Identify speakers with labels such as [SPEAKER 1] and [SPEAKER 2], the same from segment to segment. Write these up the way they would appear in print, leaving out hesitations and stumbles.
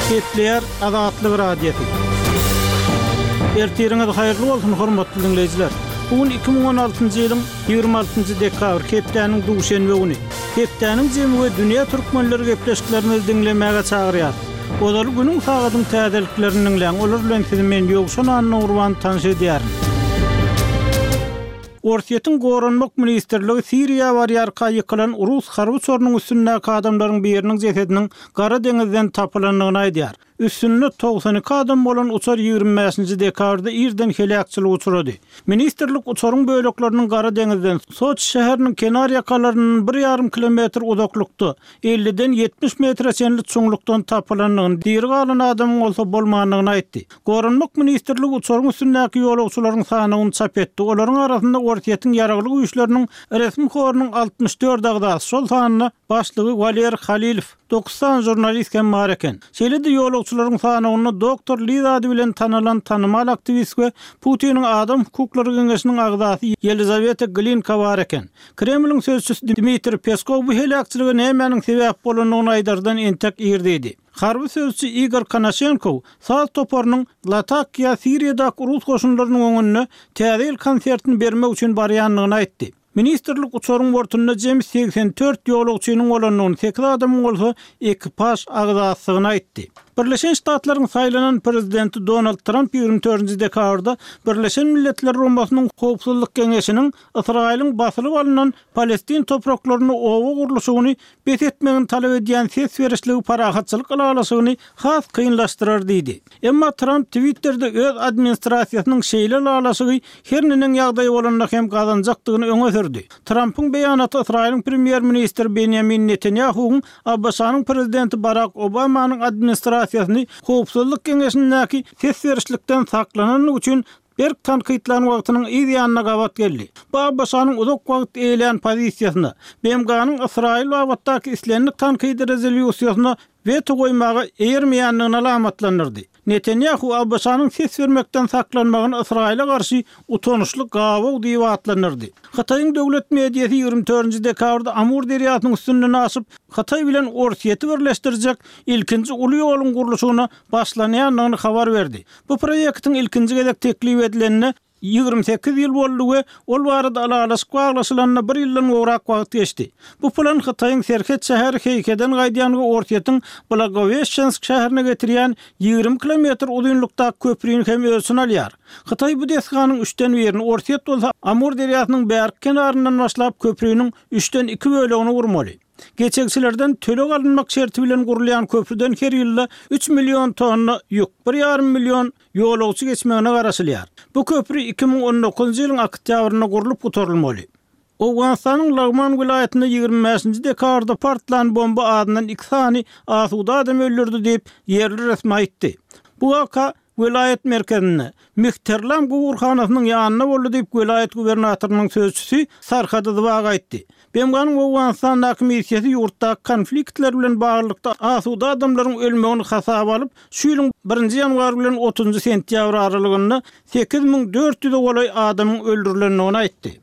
[SPEAKER 1] Gepleýär Azatlyk Radiosy. Ertiriňiz haýyrly bolsun, hormatly diňleýjiler! Bu gün 2016-njy ýylyň 26-njy dekabr, hepdäniň duşenbe güni. Hepdäniň jemi we dünýä türkmenleri gepleşiklerimizi diňlemäge çagyrýar. Ozaly günüň sagadyň täzeliklerini diňläň, olar bilen sizi men Ýowşan Annagurban tanyş edýärin. Orsýetiň Goranmak ministrligi Siriýa barýarka ýykylan rus harby uçarynyň üstündäki adamlaryň biriniň jesediniň Gara deňizden tapylandygyny aýdýar. Üstünde 92 adam bolan uçar 25-nji dekabrda irden heläkçilige uçrady. Ministrlik uçaryň bölekleriniň Gara deňizden, Soçi şäheriniň kenar ýakalaryndan bir ýarym kilometr uzaklykda, elliden 70 metre çenli çuňlukdan tapylandygyny, diri galan adamyň bolsa bolmandygyny aýtdy. Goranmak ministrligi uçaryň üstündäki ýolagçylaryň sanawyny çap etdi. Olaryň arasynda Orsýetiň Ýaragly Güýçleriniň resmi horunyň 64 agzasy, şol sanda başlygy Waler Halilow, dokuz sany žurnalist hem bar eken. Şeýle-de ýolagçylaryň sanawynda Doktor Liz ady bilen tanalan tanymal aktiwist we Putiniň Adam hukuklary geňeşiniň agzasy Ýelizaweta Glinka bar eken. Kremliň sözçüsi Dmitriý Peskow bu heläkçilige nämäniň sebäp bolandygyny aýdardan entek ir diýdi. Harby sözçi Igor Konaşenkow saz toparynyň Latakiýa Siriýadaky rus goşunlarynyň öňünde Täze ýyl konsertini bermek üçin barýandygyny aýtdy. Ministrlik uçaryň bortunda jemi 84 ýolagçynyň bolandygyny, sekiz adamyň bolsa ekipaž agzasydygyny aýtdy. Birleşen Ştatlaryň saýlanan prezidenti Donald Tramp 24-nji dekabrda Birleşen Milletler Guramasynyň Howpsuzlyk Geňeşiniň Ysraýylyň basylyp alnan palestin topraklarynda oba gurluşygyny bes etmegini talap edýän ses berişligi parahatçylyk ylalaşygyny has kynlaşdyrar diýdi. Emma Tramp Twitterde öz administrasiýasynyň şeýle ylalaşygy her neneň ýagdaý bolanda hem gazanjakdygyny öňe sürdi. Trampyň beýanaty Ysraýylyň premýer-ministri Benýamin Netanýahuwyň ABŞ-nyň prezidenti Barak Obamanyň administrasiýasyny Howpsuzlyk Geňeşindäki ses berişlikden saklanandygy üçin berk tankytlan wagtynyň yz ýanyna gabat geldi. Bu ABŞ-nyň uzak wagt eýelän pozisiýasyna, BMG-niň Ysraýyl babatdaky islendik tankydy rezolýusiýasyna weto goýmaga eýermeýändigini alamatlandyrdy. Netanýahu ABŞ-nyň ses bermekden saklanmagyny Ysraýyla garşy utançly gabaw diýip atlandyrdy. Hytaýyň döwlet mediasy 24-nji dekabrda Amur derýasynyň üstünden aşyp, Hytaý bilen Orsýeti birleşdirjek ilkinji uly ýoluň gurluşygyna başlanýandygyny habar berdi. Bu proýektiň ilkinji gezek teklip edilenine 28 ýyl boldy we ol barada ylalaşyk baglaşylanyna bir ýyldan gowrak wagt geçdi. Bu plan Hytaýyň serhet şäheri Heýheden gaýdýan we Orsýetiň Blagoweşçensk şäherine getirýän 20 kilometr uzynlykdaky köprini hem öz içine alýar. Hytaý bu desganyň üçden birini, Orsýet bolsa Amur derýasynyň bärki kenaryndan başlap köpriniň üçden iki bölegini gurmaly. Geçegçilerden töleg alynmak şerti bilen gurulýan köprüden her ýylda üç million tonna ýük, bir ýarym million ýolagçy geçmegine garaşylýar. Bu köpri 2019-njy ýylyň oktýabrynda gurlup gutarylmaly. Owganystanyň Lagman welaýatynda 25-nji dekabrda partlan bomba azyndan iki sany asuda adamy öldürdi diýip, ýerli resmi aýtdy. Bu waka Welaýat merkezinde, Mihterlam guburhanasynyň ýanynda boldy diýip, welaýat gubernatorynyň sözçüsi Sarhady Zybag aýtdy. BMG-niň Owganystandaky missiýasy ýurtdaky konfliktler bilen baglylykda asuda adamlaryň ölmegini hasaba alyp, şu ýylyň birinji ýanwary bilen otuzynjy sentýabr aralygynda 8400-e golaý adamyň öldürilendigini aýtdy.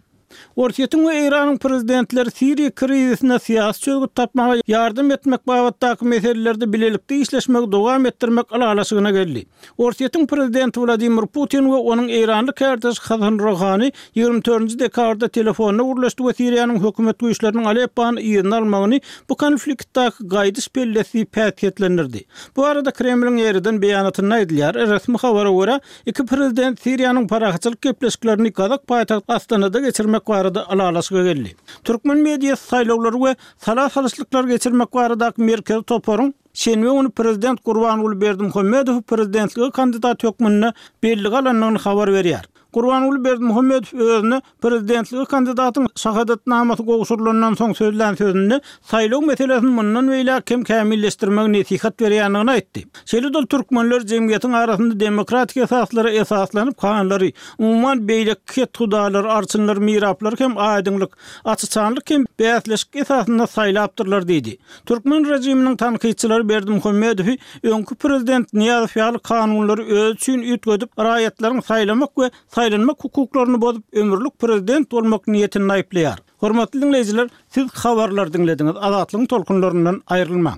[SPEAKER 1] Orsýetiň we Eýranyň prezidentleri Siriýa krizisine syýasy çözgüt tapmaga ýardam etmek babatdaky meselelerde bilelikde işleşmegi dowam etdirmek ylalaşygyna geldi. Orsýetiň prezidenti Wladimir Putin we onuň eýranly kärdeşi Hasan Rohani 24-nji dekabrda telefonda gürleşdi we Siriýanyň hökümet güýçleriniň Aleppony yzyna almagyny bu konfliktdaky gaýdyş pellesi diýip häsiýetlendirdi. Bu barada Kremliň ýeriden beýanatynda aýdylýar. Resmi habara görä, Iki prezident Siriýanyň parahatçylyk gepleşiklerini gazak paýtagty Astanada geçirmek barada ylalaşyga geldi. Türkmen mediasy saýlawlary we sala salyşlyklary geçirmek baradaky merkezi toparyň şenbe güni prezident Gurbanguly Berdimuhamedowy prezidentlige kandidat hökmünde bellige alandygyny habar berýär. Gurbanguly Berdimuhamedow özüne Prezidentlige kandidatyň şahadatnamasy gowşurylandan soň sözlän sözünde saýlaw meselesini mundan beýläk hem kämilleşdirmegi nesihat berýändigini aýtdy. Şeýle-de ol türkmenler jemgyýetiň arasynda demokratik esaslara esaslanyp hanlary, umuman beýleki kethudalary, arçynlary, miraplary hem aýdyňlyk, açyçanlyk hem bäsleşik esasynda saýlapdyrlar diýdi. Türkmen režiminiň tankytçylary Berdimuhamedowy öňki prezident Nyýazow ýaly kanunlary özi üçin üýtgedip, raýatlaryň saýlamak we saýlanmak hukuklaryny bozup, ömürlik prezident bolmak niýetinde aýyplaýar. Hormatly diňleýjiler, siz habarlary diňlediňiz, Azatlygyň tolkunlaryndan aýrylmaň!